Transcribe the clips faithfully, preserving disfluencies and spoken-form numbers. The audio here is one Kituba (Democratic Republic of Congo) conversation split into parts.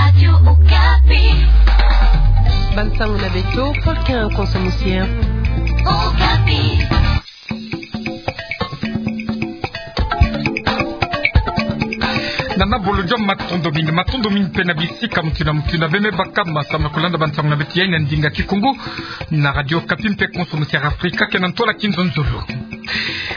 Radio Okapi. Bansango na beto, Paul Quentin Konso Musier. Okapi. Nana Bolodjwa, matondo mingi, matondo mingi mpe na bisika mutindu na mutindu beno me baka ma samu na kulanda bansango na beto yai na ndinga Kikongo na Radio Okapi mpe Konso Musier Afrika, ke na ntwala Kinzonzolo.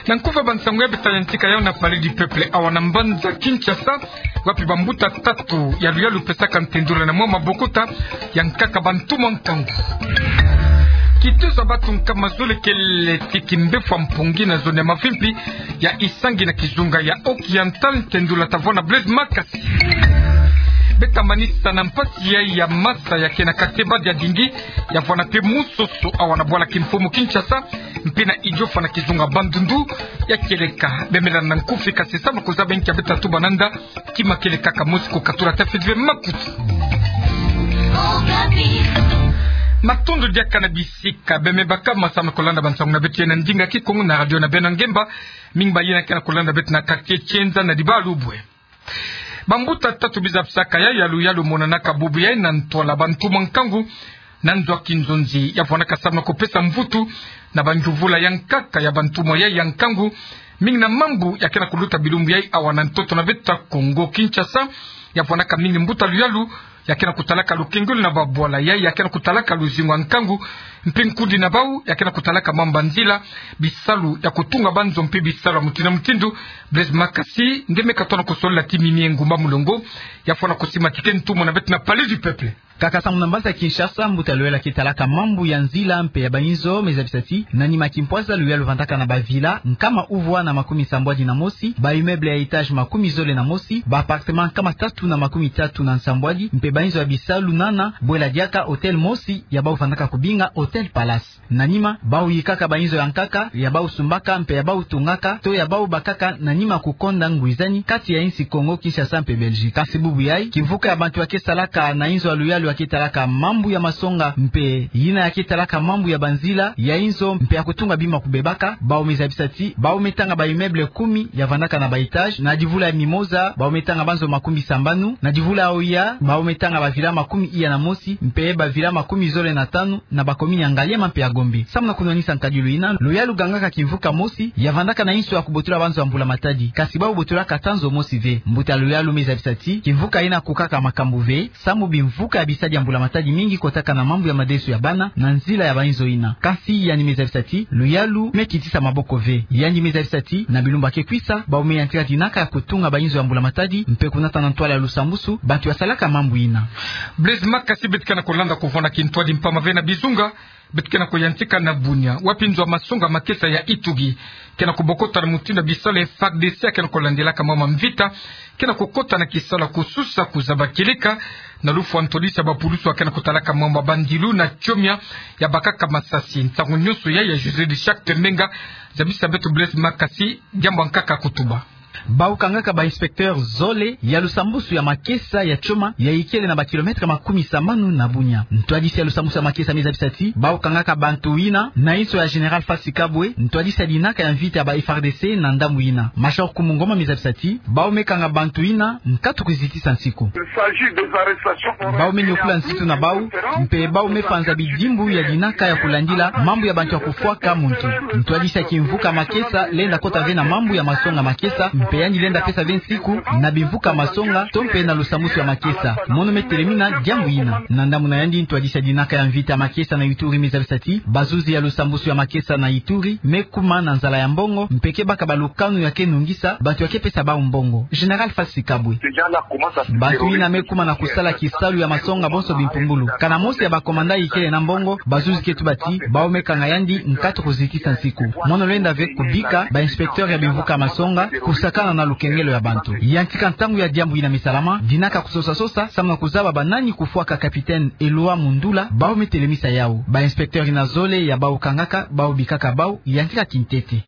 Na nkufi ya bansango yai, beto ta yantika yau na Palais du Peuple awa na mbanza Kinshasa, wapi bambuta tatu ya luyalu pesaka ntendula na mwa mabokota ya nkaka bantumwa nkangu. Kitezo ya bantu nkama zole kele ti kimbefo ya mpongi na zone ya Mavimpi ya Isangi na kizunga ya Oriental, ntendula ta vwanda Blaise Makasi. Beto ta manisa na mpasi yai ya masa ya ke na quartier Badiadingi, ya vwanda mpe musoso awa na bwala kimfumu Kinshasa, mpe na Idiofa na kizunga Bandundu, ya kieleka. Beno me landa na nkufi, kasi samu na kuzaba nkia beto ta tuba nanda, kima kele kaka mosi, kukatula ta fidwe makutu. Matondo diaka na bisika beno me baka ma samu na kulanda bansango na beto yai na ndinga Kikongo na radio na beno ya ngemba. Mingi bayina ke na kulanda beto na quartier Kienza na Dibalubwe. Bambuta tatu bizabisaka yai ya luyalu monanaka bubu yai na ntwala bantumwa nkangu na nzo ya kinzonzi, ya vwandaka samu na kupesa mvutu na banjuvula ya nkaka ya bantumwa yai ya nkangu, mingi na mambu ya ke na kuluta bilumbu yai awa na ntoto na beto Kongo Kinshasa. Ya vwandaka mingi mbuta luyalu ya ke na kutalaka lukengelo na babwala yai ya ke na kutalaka luzingu ya nkangu, mpe nkudi na bau ya ke na kutalaka mambu ya nzila, bisalu ya kutunga banzo mpe bisalu ya mutindu na mutindu. Blaise Makasi nde me katono kusolila ti Mimi Ngumba Mulongo, ya fwana kusimatike ntumwa na beto na Palais du Peuple. Kaka samu na mbanza Kinshasa, mbuta luyalu ya ke talaka mambu ya nzila mpe ya bainzo me zabisa ti, na nima kimpwaza luyalu vandaka na bavilla nkama uvwa na makumi sambwadi na mosi, ba immeuble ya étage makumi zole na mosi, ba appartement nkama tatu na makumi tatu na nsambwadi, mpe bainzo ya bisalu nana bwela diaka hôtel mosi ya bau vandaka kubinga Hôtel Palace. Na nima, bau yikaka bainzo ya nkaka, ya bau sumbaka, mpe ya bau tungaka, to ya bau bakaka na nima kukonda ngwizani kati ya insi Kongo Kinshasa mpe Belgique. Kasi bubu yai, kimvuka ya bantu ya ke salaka na inzo ya luyalu ya ke talaka mambu ya masonga, mpe yina ya ke talaka mambu ya banzila ya inzo, mpe ya kutunga bima kubebaka, bau me zabisa ti, bau me tanga ba immeuble kumi ya vandaka na ba étage, na divula ya Mimosa, bau me tanga banzo makumi sambanu, na divula ya Oya, bau me tanga bavilla makumi iya na mosi, mpe bavilla makumi zole na tanu, na bakomini ya Ngaliema mpe ya Gombe. Samu na kunwanisa nkadilu yina, luyalu gangaka kimvuka mosi ya vandaka na inso ya kubotula banzo ya mbula matadi. Kasi bau botulaka ata nzo mosi ve. Mbuta luyalu me zabisa ti, kimvuka yina kukaka makambu ve, samu bimvuka ya bisadi ya mbula matadi mingi kotaka na mambu ya madesu ya bana na nzila ya bainzo yina. Kasi yandi me zabisa ti, luyalu me kitisa maboko ve. Yandi me zabisa ti, na bilumbu ya ke kwisa, bau me yantika dinaka ya kutunga bainzo ya mbula matadi, mpe kunata na ntwala ya lusambusu bantu ya salaka mambu yina. Blaise Makasi, beto ke na kulanda kuvwanda kintwadi mpamba ve na bizunga, beto ke na kuyantika na Bunia, wapi nzo ya masonga makesa ya Ituri ke na kubokota na mutindu ya bisalu ya FARDC ya ke na kulandilaka mambu ya mvita, ke na kukota na kisalu ya kususa kuzaba kieleka na lufwa ntwadisi ya bapulusu ya ke na kutalaka mambu ya bandilu na tiomia ya bakaka masasi. Nsangu nionso yai ya José de Chacte Menga, zabisa beto Blaise Makasi diambu ya nkaka kutuba. Bau kangaka ba inspecteur zole ya lusambusu ya makesa ya tioma ya ikele na ba kilomètre makumi sambanu na Bunia. Ntwadisi ya lusambusu ya makesa me zabisa ti, bau kangaka bantu yina na inso ya Général Fathi Kabwe, ntwadisi ya dinaka ya mvita ya ba FARDC na ndambu yina. Major Kumu Ngoma me zabisa ti, bau me kanga bantu yina nkatu kuzitisa nsiku. Bau me nyokula nsitu na bau, mpe bau me panza bidimbu ya dinaka ya kulandila mambu ya bantu ya kufwaka muntu. Ntwadisi ya kimvuka makesa lenda kota ve na mambu ya masonga makesa, mpe yandi lenda pesa ve nsiku na bimvuka masonga, to mpe na lusambusu ya makesa. Mono me telemina diambu yina. Na ndambu na yandi, ntwadisi ya dinaka ya mvita makesa na Ituri me zabisa ti, bazuzi ya lusambusu ya makesa na Ituri me kuma na nzala ya mbongo, mpe ke baka balukanu ya ke nungisa bantu ya ke pesa bau mbongo. Général Fathi Kabwe. Bantu yina me kuma na kusala kisalu ya masonga bonso bimpumbulu. Kana mosi ya ba commandant ikele na mbongo, bazuzi ke tuba ti, bau me kanga yandi nkatu kuzitisa nsiku. Mono lenda ve kubika ba inspecteur ya bimvuka masonga kusakana na lukengelo ya bantu. Yantika ntangu ya diambu yina me salama, dinaka kusosa-sosa, samu na kuzaba banani kufwaka capitaine Eloi Mundula, bau me telemisa yau. Ba inspecteur yina zole ya bau kangaka, bau bikaka bau, yantika kintete.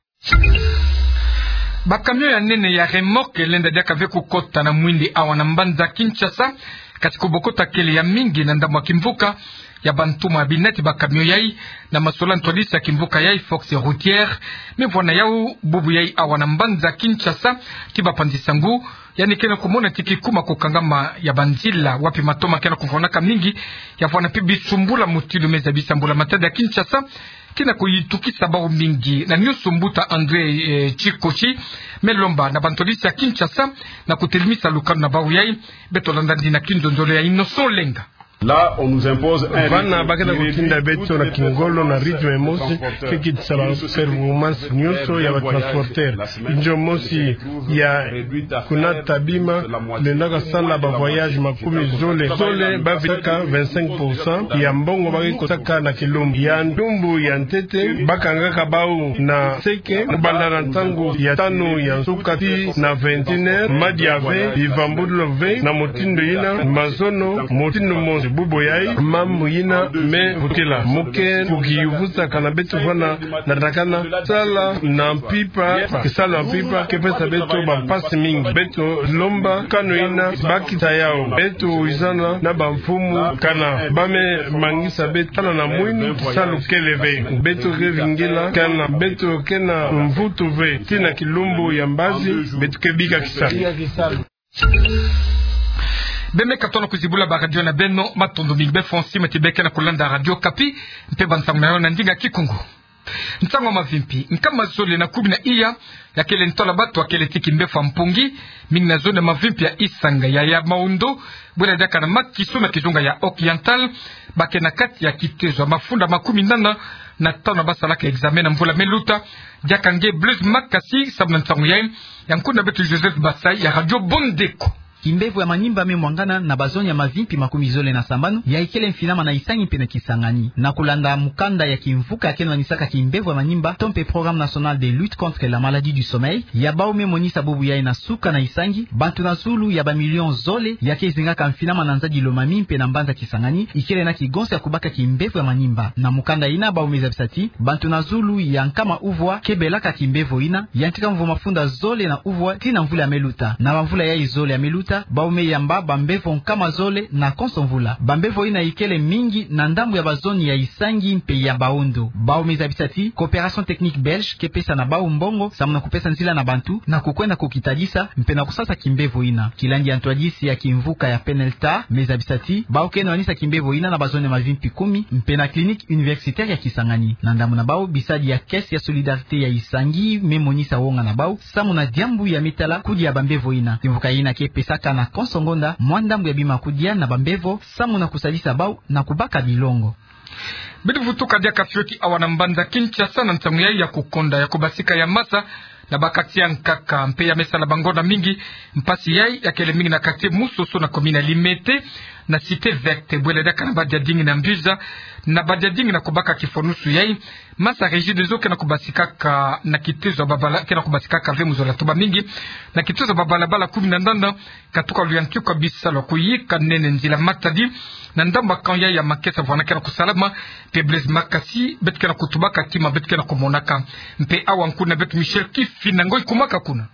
Ba camion ya nene ya remorque lenda diaka ve kukota na mwindi awa na mbanza Kinshasa, kasi kubokota kele ya mingi na ndambu ya kimvuka ya bantuma ya binati ba camion yai, na masola ntwadisi ya kimvuka yai Force Routière me vwanda yau bubu yai awa na mbanza Kinshasa, ti bapanzi sangu Yandi ke na kumona ti kikuma kukangama ya banzila wapi matoma ke na kuvwanaka mingi, ya vwana mpe bisumbula mutindu me zabisa mbula matadi ya Kinshasa, ke na kuyitukisa bau mingi. Na nionso mbuta André, eh, Tshikoshi me lomba na bantwadisi ya Kinshasa na kutelemisa lukanu na bau yai. Beto landa yandi na kinzonzolo ya Innocent Olenga. Là, on nous impose un rythme. Vana ba ke na kutinda beto na kingolo na rythme mosi, ke kitisa ba performance nionso ya ba transporteur. Inzo mosi ya kunata bima, lendaka sala ba voyage makumi zole. Zole ba vitaka vingt-cinq pour cent ya mbongo ba ke kotaka na kilumbu. Ya ndumbu ya ntete, ba kangaka bau na seke, kubanda na ntangu ya tanu ya nsuka tii na vingt et une heures, madia ve, bivambululu ve, na mutindu yina, mazono, mutindu mosi. Bubu yai, mambu yina me vutila. Mu ke kukiyuvusaka na beto vana, na takana, sala na mpimpa, kisalu ya mpimpa, ke pesa beto bampasi mingi. Beto lomba kano yina, bakisa yau. Beto wizana na bamfumu, kana ba me mangisa beto, kana na mwini, kisalu kele ve. Beto ke vingila, kana beto ke na mvutu ve. Tii na kilumbu ya mbazi, beto ke bika kisalu. Beno me katono kuzibula ba radio na beno, matondo mingi. Beno fweti mati beka na kulanda Radio Okapi, mpe bansangu na yo na ndinga Kikongo. Nsangu ya mavimpi, nkama zole na kumi na iya ya kele ntola batu ya kele ti kimbevo ya mpungi, mingi na zone ya mavimpi ya Isanga ya, ya Maondo, bwela diaka na Makiso na kizunga ya Occidental, ba ke na kati ya kitezo ya mafunda makumi nana na tanu na ba salaka examen na mvula me luta. Diaka nge Blaise Makasi samu na nsangu yai, ya nkuna beto Joseph Basai ya Radio Bondeko. Kimbevo ya manimba me mwangana na bazone ya mavimpi makumi zole na sambanu, ya ikele mfinama na Isangi mpe na Kisangani. Na kulanda mukanda ya kimvuka ya ke na wanisaka kimbevo ya manimba, to mpe Programme National de Lutte contre la Maladie du Sommeil, ya bau me monisa bubu yai na suka na Isangi, bantu na zulu ya ba million zole ya ke zingaka mfinama na nzadi Lomami mpe na mbanza Kisangani, ikele na kigonso ya kubaka kimbevo ya manimba. Na mukanda yina bau me zabisa ti, bantu na zulu ya nkama uvwa ke belaka kimbevo yina, yantika mvu mafunda zole na uvwa tii na mvula ya me luta. Na bamvula yai zole ya me luta, bau me yamba bambevo nkama zole na konso mvula. Bambevo yina ikele mingi na ndambu ya bazone ya Isangi mpe ya Maondo. Bau me zabisa ti, Coopération Technique Belge ke pesa na bau mbongo, samu na kupesa nzila na bantu, na kukwenda kukitadisa, mpe na kusasa kimbevo yina. Kilandi ya ntwadisi ya kimvuka ya PNLTA me zabisa ti, bau ke na wanisa kimbevo yina na bazone ya mavimpi kumi, mpe na clinique universitaire ya Kisangani. Na ndambu na bau, bisadi ya caisse ya solidarité ya Isangi me monisa wonga na bau, samu na diambu ya me tala kudia bambevo yina. Kimvuka yina ke pesaka na konso ngonda mwa ndambu ya bima kudia na bambevo, samu na kusadisa bau na kubaka bilongo. Bidi vutuka diaka fioti awa na mbanza Kinshasa na nsangu yai ya kukonda ya kubasika ya masa na ba quartier ya nkaka, mpe ya me sala bangonda mingi mpasi yai. Ya kele mingi na quartier Musoso na commune ya Limete, na Cité Verte, bwela diaka na Badiadingi na Mbuza, na Badiadingi na kubaka kifwanusu yai. Masa Regideso ke na kubasikaka na kitezo ya babala-, ke na kubasikaka ve mu zola tuba mingi, na kitezo ya babalabala kumi na nana, katuka luyantika bisalu ya kuyika nene nzila matadi na ndambu ya camp yai ya Makesa vwanda ke na kusalama. Mpe Blaise Makasi, beto ke na kutubaka, tima beto ke na kumonaka. Mpe awa nkuna beto Michel Kifinda Ngoi kumaka kuna.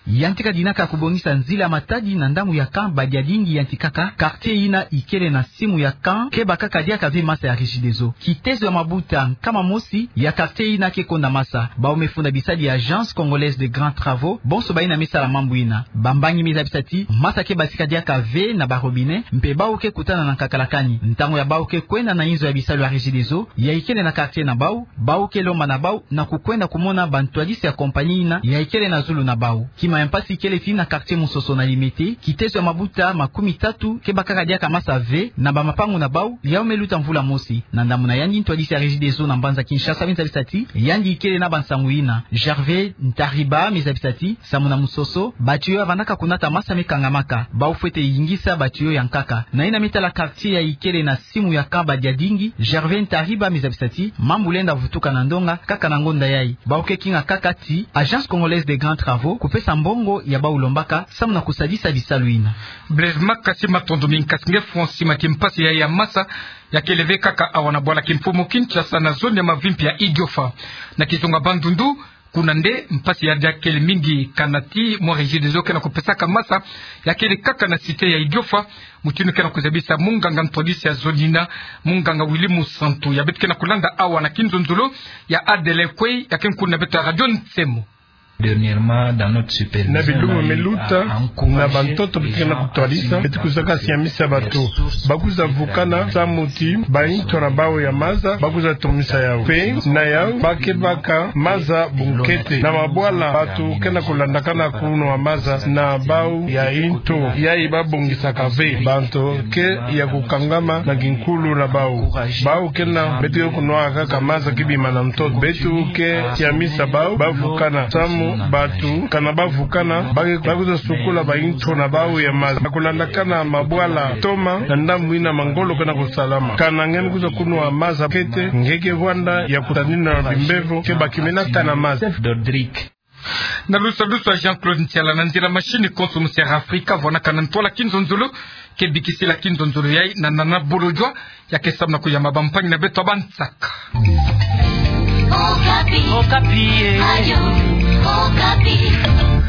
Yantika dinaka kubongisa nzila matadi na ndambu ya camp Badiadingi yantikaka, quartier yina ikele na simu ya camp ke bakaka diaka ve masa ya Regideso. Kitezo ya mabuta nkama mosi ya quartier yina ke konda masa. Bau me funda bisadi ya Agence Congolaise de Grands Travaux, bonso bayina me sala mambu yina. Bambangi me zabisa ti, masa ke basika diaka ve na ba robinet, mpe bau ke kutana na nkakalakani. Ntangu ya bau ke kwenda na inzo ya bisalu ya Regideso, ya ikele na quartier na bau, bau ke lomba na bau na kukwenda kumona bantwadisi ya compagnie yina ya ikele na zulu na bau. Kima ya mpasi ikele ti na quartier Musoso na Limete, kitezo ya mabuta makumi tatu ke bakaka diaka masa ve na bamapangu na bau, yau me luta mvula mosi. Na ndambu na yandi, ntwadisi ya Regideso na mbanza Kinshasa me zabisa ti, yandi ikele na bansangu yina. Gervais Ntariba me zabisa ti, samu na Musoso, ba tuyau ya vandaka kunata masa me kangamaka, bau fwete yingisa ba tuyau ya nkaka. Na yina me tala quartier ya ikele na simu ya camp Badiadingi, Gervais Ntariba me zabisa ti, mambu lenda vutuka na ndonga kaka na ngonda yai. Bau ke kinga kaka ti Agence Congolaise de Grands Travaux kupesa mbongo ya bau lombaka, samu na kusadisa bisalu yina. Blaise Makasi, matondo mingi. Kasi nge Francis Mati, mpasi yai ya masa ya kele ve kaka awa na bwala kimfumu Kinshasa na zone ya mavimpi ya Idiofa. Na kizunga Bandundu, kuna nde mpasi yai ya kele mingi, kana ti mwa Regideso ke na kupesaka masa ya kele kaka na cité ya Idiofa, mutindu ke na kuzabisa munganga ntwadisi ya zone yina, munganga Willy Musantu, ya beto ke na kulanda awa na kinzonzolo ya Adelin Kwei, ya ke nkuna na beto ya Radio Nsemo. Na bilumbu me luta, na bantoto beto ke na kutwadisa, beto kwiza ka siamisa bato ba kwiza vukana samu ti bainto na bau ya maza ba kwiza tomisa yau. Mpe na yau ba ke baka maza bunkete na mabwala bato ke na kulandakana kunwa maza na bau ya into yayi ba bongisaka ve. Banto ke ya kukangama na kinkulu na bau. Bau ke na beto ke kunwaka kaka maza ki bima na ntoto. Beto ke siamisa bau ba vukana samu bato kana ba vukana ba ke, ba kwiza sukula bainto na bau ya maza. Na kulandakana mabwala toma na ndambu ina mangolo ke na kusalama. Kana nge me kwiza kunwa maza kete, nge ke vwanda ya kutanina na bimbevo ke ba ke mena tana maza. Dodric. Na lusa lusa Jean-Claude Ntiala, na nzila machine konso mu Sierra Africa, vwanakana ntwala kinzonzolo ke bikisila kinzonzolo yayi na Nana Bolodjwa, ya ke samna kuyamba bampangi na beto ba nsaka. Okapi. Okapi, eh. Radio Okapi.